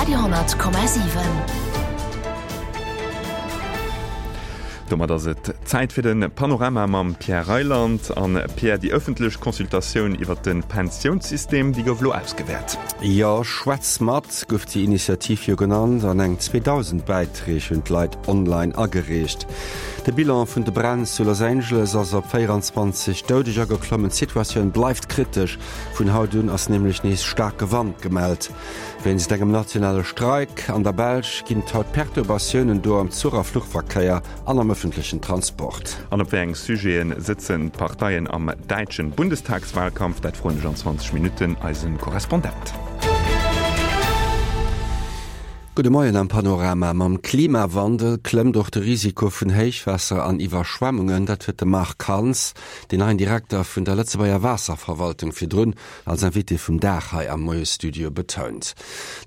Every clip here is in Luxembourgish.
Radio 10,7. Domat ass et Zäit fir de Panorama mam Pierre Reyland. An Pierre, déi ëffentlech Consultatioun iwwer de Pensiounssystem, déi gouf elo ausgewäert. Jo, Schwätz mat gouf déi Initiativ jo genannt an eng 2.000 Bäitreeg hunn d'Leit online agereecht. De Bilan vun de Bränn zu Los Angeles ass op 24 Doudeger geklommen. D'Situatioun bleift kritesch. Vun haut un ass nämlech nees staarke Wand gemellt. Wéinst engem nationale Streik an der Belsch ginn et haut Perturbatiounen do am Zuch a Fluchverkéier an am ëffentlechen Transport. An op wéi eng Sujete sëtzen d'Parteien am däitschen Bundestagswahlkampf? Dat froen ech an 20 Minutten eise Korrespondent. Gudde Moien am Panorama. Mam Klimawandel klëmmt och de Risiko vun Héichwaasser an Iwwerschwemmungen. Dat huet de Marc Hans, deen neien Direkter vun der Lëtzebuerger Waasserverwaltung, virdrun als Invité vum Dag hei am Moiesstudio betount.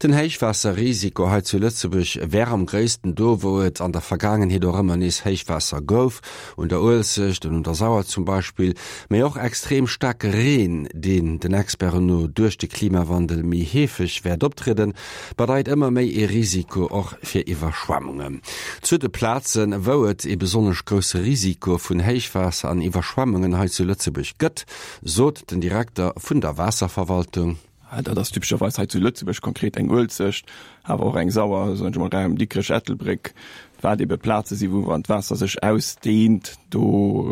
Den Héichwaasserrisiko hei zu Lëtzebuerg wär am gréissten do, wou et an der Vergaangenheet och ëmmer nees Héichwaasser gouf, un der Uelzecht an un der Sauer zum Beispill, mee och extrem staarke Reen, deen den Experten no duerch de Klimawandel méi heefeg wäert optrieden, bedeit ëmmer méi ee Risiko och fir Iwwerschwemmungen. Zu de Plazen, wou et ee besonnesch grousse Risiko vun Héichwaasser an Iwwerschwemmungen hei zu Lëtzebuerg gëtt, sot den Direkter vun der Waasserverwaltung. Dat ass typescherweis hei zu Lëtzebuerg konkret eng Uelzecht, awer och eng Sauer, soen ech emol, Raum Dikrech, Ettelbréck, wat ebe Plaze si wou wann d'Waasser sech ausdehnt, do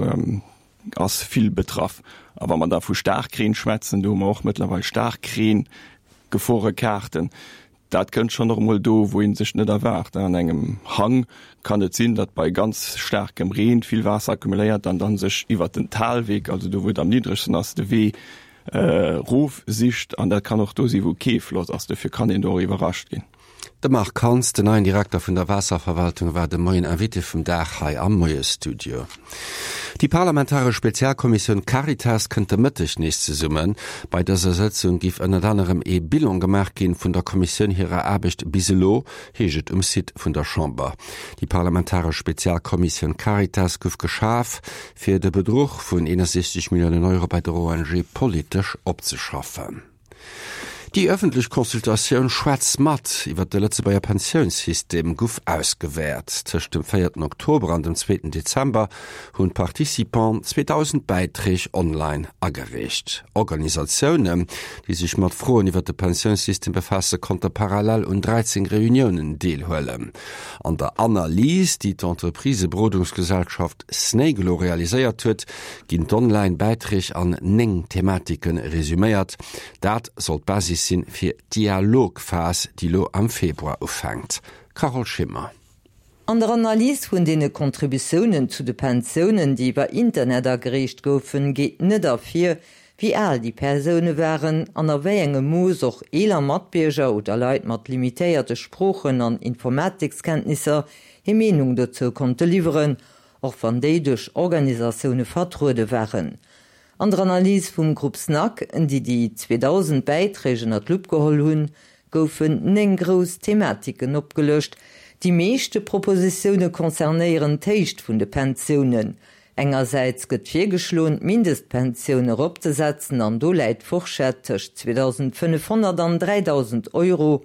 ass vill betraff. A wa mer da vu Staarkreen schwätzen, do hu mer och mëttlerweil Staarkreen-Geforekaarten. Dat kënnt schonn och emol do, wou ee sech net erwaart. An engem Hang kann et sinn, datt bei ganz staarkem Reen vill Waasser accumuléiert an dann sech iwwert den Talweg, also do wou et am niddregsten ass, de Wee erof sicht. An dat kann och do si wou kee Floss ass. Dofir kann een do och iwwerrascht ginn. De Marc Hans, den neien Direkter vun der Waasserverwaltung, war de Moien Invité vum Dag hei am Moiesstudio. Déi parlamentaresch Spezialkommissioun Caritas kënnt de Mëtteg nees zesummen. Bei dëser Sëtzung giff ënnert anerem ee Bilan gemaach ginn vun der Kommissioun hirer Aarbecht bis elo, heescht et um Site vun der Chamber. Déi parlamentaresch Spezialkommissioun Caritas guff geschaf, fir de Bedruch vun 61 Milliounen Euro bei der ONG politesch opzeschaffen. Déi ëffentlech Consultatioun Schwätz mat iwwer de Lëtzebuerger Pensiounssystem guff ausgewäert. Tëscht dem véierten Oktober an dem zweeten Dezember hunn d'Participanten 2.000 Bäiträg online agereecht. Organisatiounen, déi sech mat Froen iwwer de Pensiounssystem befaasse konnte parallel un 13 Reuniounen deelhuelen. An der Analys, déi d'Entreprisëberodungsgesellschaft Snaiglo realiséiert huet, ginn d'Online-Bäiträg an 9 Thematike resuméiert. Dat soll d'Basis sinn fir d'Dialogphas, déi lo am Februar ufänkt. Carole Schimmer. An der Analys vun deene Contributiounen zu de Pensiounen, déi iwwer Internet agereecht goufen, geet net ervir, wéi al déi Persoune waren an a wéi engem Mooss och eeler Matbierger oder Leit mat limitéierte Sproochen an Informatikskenntnisser hir Meenung dozou konnte liwweren, och wann déi duerch Organisatioune vertruede waren. An der Analys vum Grupp SNAC, déi déi 2.000 Bäiträg ënner d'Lupp geholl hunn, goufen 9 grouss Thematiken opgelëscht. Déi meeschte Propositioune concernéieren d'Héicht vun de Pensiounen. Engersäits gëtt virgeschloen, d'Mindestpensioun eropzesetzen an do läit d'Fourchette tëscht 2.500 an 3.000 Euro.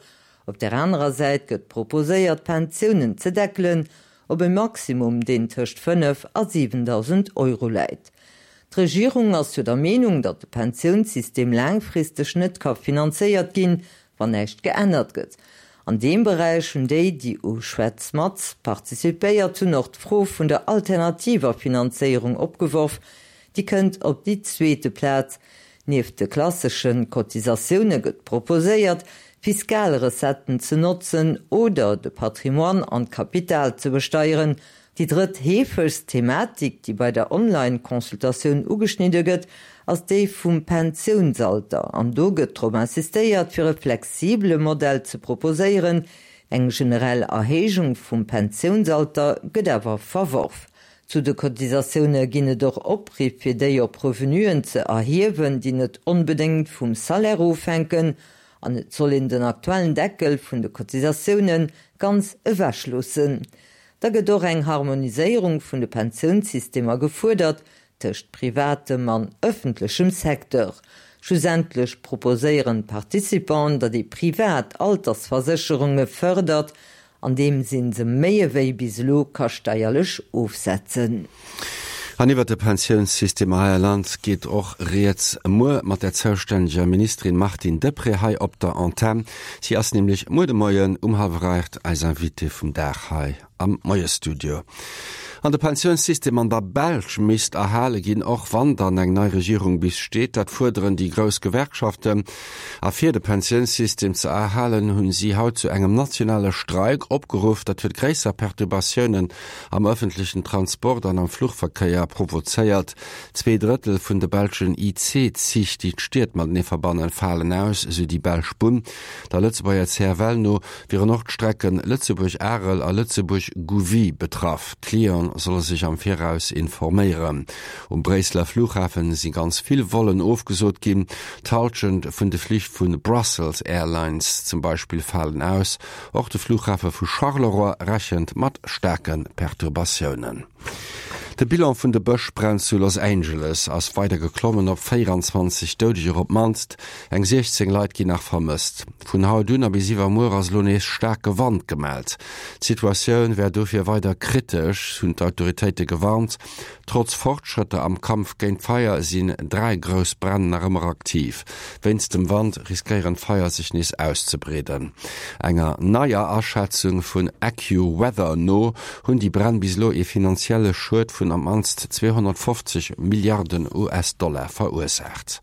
Op där anerer Säit gëtt proposéiert, d'Pensiounen ze deckelen op e Maximum, deen tëscht 5 a 7.000 Euro läit. D'Regierung ass jo der Meenung, datt de Pensiounssystem laangfristeg net ka finanzéiert ginn, wann näischt geännert gëtt. An deem Beräich hunn déi, déi u Schwätz mat participéiert hunn, och d'Fro vun der alternativer Finanzéierung opgeworf. Déi kënnt op déi zweete Plaz. Nieft de klassesche Cotisatioune gëtt proposéiert, fiskal Recetten ze notzen oder de Patrimoine an d'Kapital ze besteieren. Déi drëtt heefegst Thematik, déi bei der Online-Consultatioun ugeschnidde gëtt, ass déi vum Pensiounsalter. An do gëtt drop insistéiert, fir e flexibele Modell ze proposéieren. Eng generell Erhéijung vum Pensiounsalter gëtt awer verworf. Zu de Cotisatioune ginn et och Opriff, fir déi op Revenuen ze erhiewen, déi net onbedéngt vum Salaire ofhänken. An et soll een den aktuellen Deckel vun de Cotisatioune ganz ewech loossen. Da gëtt och eng Harmoniséierung vun de Pensiounssystemer gefuerdert tëscht privatem an ëffentlechem Secteur. Schlussendlech proposéieren d'Participanten, datt ee privat Altersversécherunge fërdert, andeems ee se méi ewéi bis elo ka steierlech ofsetzen. An iwwert de Pensiounssystem hei am Land geet och rieds muer mat der zoustänneger Ministerin Martine Deprez hei op der Antenn. Si ass nämlech muer de Moien um hallwer 8 eis Invitée vum Dag hei am Moiesstudio. An de Pensiounssystem an der Belsch misst erhale ginn, och wann dann eng nei Regierung bis steet. Dat fuerderen déi grouss Gewerkschaften. A fir de Pensiounssystem ze erhalen, hunn si haut zu engem nationale Streik opgeruff. Dat huet gréisser Perturbatiounen am ëffentlechen Transport an am Fluchverkéier provozéiert. Zweedrëttel vun de belschen IC-Zich, déi d'Stied matenee verbannen, falen aus, esou déi belsch Bunn. Der Lëtzebuerger CFL no wieren och d'Strecken Lëtzebuerg-Arel a Lëtzebuerg-Gouvy betraff. D'Clienten solle sech am Viraus informéieren. Um Bréisseler Flughafen si ganz vill Vollen ofgesot ginn. D'Hallschent vun de Flich vu Brussels Airlines zum Beispill falen aus. Och de Flughafe vu Charleroi rechent mat staarke Perturbatiounen. De Bilan vun de Bëschbränn zu Los Angeles ass weider geklommen op 24 Doudeger op d'mannst. Eng 16 Leit ginn nach vermësst. Vun haut un a bis iwwermuer ass elo nees staarke Wand gemellt. D'Situatioun wär dofir weider kritesch, hunn d'Autoritéite gewarnt. Trotz Fortschrëtter am Kampf géint d'Feier sinn 3 grouss Bränn nach ëmmer aktiv. Wéinst dem Wand riskéieren d'Feier sech nees auszebreeden. Enger neier Aschätzung vun AccuWeather no hunn déi Bränn bis elo ee finanzielle Schued vun am mannst 250 Milliarden US-Dollar verursaacht.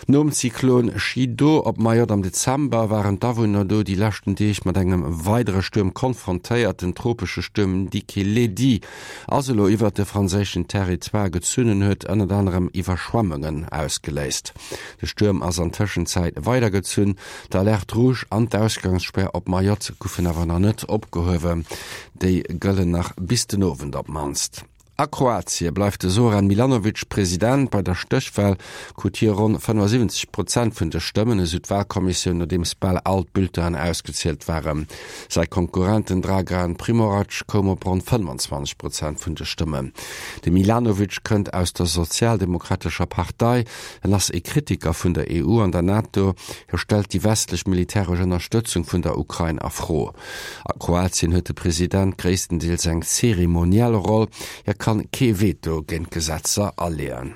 Nom Zyklon Chido op Mayotte am Dezember waren d'Awunner do déi leschten Deeg mat engem weidere Stuerm konfrontéiert. Den tropesche Stuerm Dikeledi ass elo iwwert de franséischen Territoire gezunn en huet ënnert anerem Iwwerschwemmungen ausgeléist. De Stuerm ass an Tëschenzäit weidergezunn. D'Alerte rouge an d'Ausgangsspär op Mayotte goufen awer nach net opgehuewen. Déi gëllen nach bis den Owend op d'mannst. A Kroatie bleift de Zoran Milanovic President. Bei der Stéchwal krut hie ronn 75 Prozent vun de Stëmmen, esou d'Walkommissioun, nodeems bal all d'Bulletinen ausgezielt waren. Säi Konkurrent, den Dragan Primorac, koum op ronn 25 Prozent vun de Stëmmen. De Milanovic kënnt aus der sozialdemokratescher Partei. En ass ee Kritiker vun der EU an der NATO. Hie stellt déi westlech militäresch Ënnerstëtzung vun der Ukrain a Fro. A Kroatien huet de President gréisstendeels eng zeremoniell Roll, hie kann kee Veto géint Gesetzer aleeën.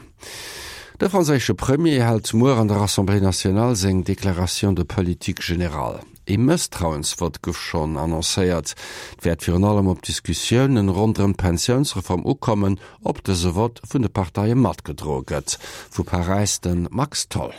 De franséische Premier hält muer an der Assemblée nationale seng Déclaration de politique générale. Ee Mësstrauensvott gouf schonn annoncéiert. Et wäert virun allem op d'Diskussiounen ronderëm d'Pensiounsreform ukommen, ob dëse Vott vun de Parteie matgedroe gëtt. Vu Paräis de Max Tholl.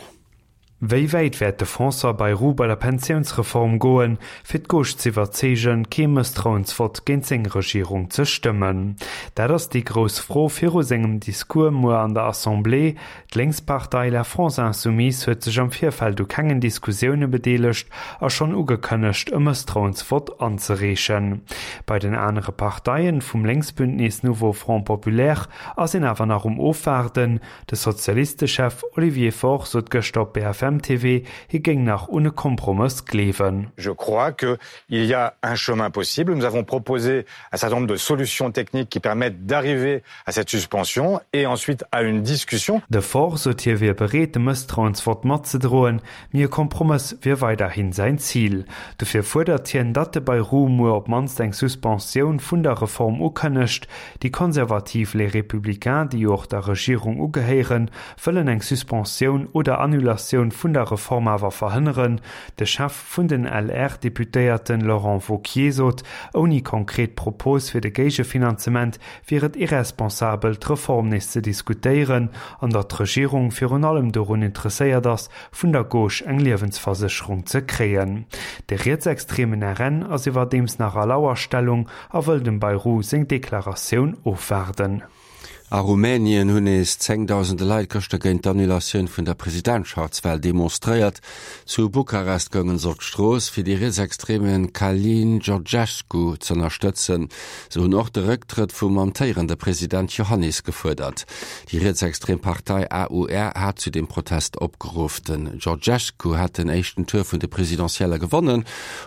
Wéi wäit wäert de François Bayrou bei der Pensiounsreform goen, fir d'Gauche z'iwwerzeegen, kee Mësstrauensvott géint seng Regierung ze stëmmen? Dat ass déi grouss Fro viru sengem Discours muer an der Assemblée. D'Lénkspartei La France Insoumise huet sech am Virfeld u kengen Diskussioune bedeelegt a schonn ugekënnegt, e Mësstrauensvott anzereechen. Bei den anere Parteien vum Lénksbündnis Nouveau Front Populaire ass een awer nach um Ofwaarden, De Sozialistechef Olivier Faure sot gëschter op BFM TV, hie géing nach un e Kompromëss gleewen. Je crois que il y a un chemin possible. Nous avons proposé un certain nombre de solutions techniques qui permettent d'arriver à cette suspension et ensuite à une discussion. De Faure sot hie wier bereet de Mësstrauensvott matzedroen, mee e Kompromëss wier weiderhi säin Zil. Dofir fuerdert hien, datt de Bayrou muer op d'mannst eng Suspensioun vun der Reform ukënnegt. Déi konservativ Les Républicains, déi jo och der Regierung ugehéieren, wëllen eng Suspensioun oder Annulatioun vun der Reform awer verhënneren. De Chef vun den LR-Deputéierten Laurent Wauquiez sot, ouni konkret Propose fir de Géigefinanzement wier et irresponsabel, d'Reform nees ze diskutéieren an datt d'Regierung virun allem dorun interesséiert ass, vun der Gauche eng Liewensversécherung ze kréien. De rietsextremen RN ass iwwerdeems nach a Lauerstellung a wëll dem Bayrou seng Deklaratioun ofwaarden. A Rumänien hunn nees zéngdausende Leit gëschter géint d'Annulatioun vun der Presidentschaftswal demonstréiert. Zu Bukarest goungen se op d'Strooss, fir déi rietsextreme Calin Georgescu z'ënnerstëtzen. Se hunn och de Récktrëtt vum amtéierende President Iohannis gefuerdert. Déi rietsextrem Partei AUR hat zu dem Protest opgeruff. Den Georgescu hat den éischten Tour vun de Presidentielle gewonnen,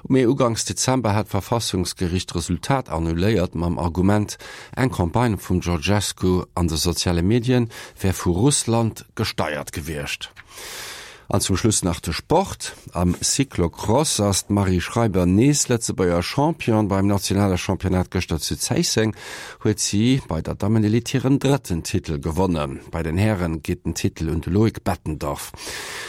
mee uganks Dezember hat d'Verfassungsgeriicht d'Resultat annuléiert, mam Argument, eng Campagne vum Georgescu an de soziale Medien wär vu Russland gesteiert gewiescht. An zum Schluss nach de Sport. Am Cyclocross ass d'Marie Schreiber nees Lëtzebuerger Champion. Beim nationale Championnat gëschter zu Zéisseng huet si bei der Dammenelite hiren drëtten Titel gewonnen. Bei den Häre geet den Titel un de Loïc Bettendorf.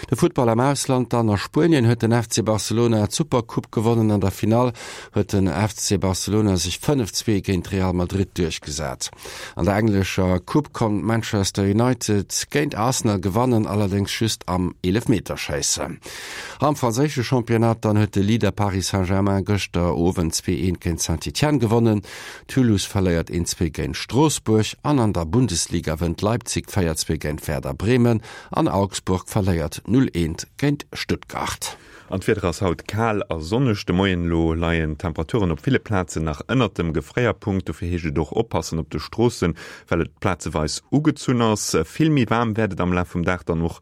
De Futtball am Ausland dann, A Spuenien huet den FC Barcelona d'Supercoupe gewonnen. An der Finall huet den FC Barcelona sech 5, 2 géint Real Madrid duerchgesat. An der englescher Coupe konnt Manchester United géint Arsenal gewannen, allerdéngs just am Eelefmeterschéissen. Am franséische Championnat dann huet de Leader Paris Saint-Germain gëschter Owend 2, 1 géint Saint-Étienne gewonnen. Toulouse verléiert 1, 2 géint Stroossbuerg an an der Bundesliga wënnt Leipzig 4, 2 géint Werder Bremen an Augsburg verléiert 0, 1 géint Stuttgart. An d'Wieder ass haut kal a sonneg. De Moien elo leien d'Temperaturen op ville Plazen nach ënnert dem Gefréierpunkt. Dofir heescht et och oppassen op de Stroossen, well et plazeweis ugezunn ass. Vill méi waarm wäert et am Laf vum Dag dann och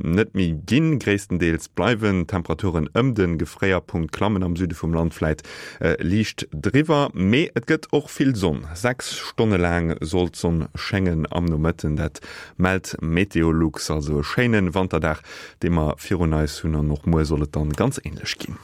net méi ginn. Gréisstendeels bleiwen d'Temperaturen ëm de Gefréierpunkt, klammen am Süde vum Land vläit liicht driwwer. Mee et gëtt och vill Sonn, 6 Stonne laang soll d'Sonn schéngen am Nomëtten, dat mellt Meteolux. Also e schéine Wanterdag dee mer virun eis hunn an och muer soll et dann ganz ähnlech ginn.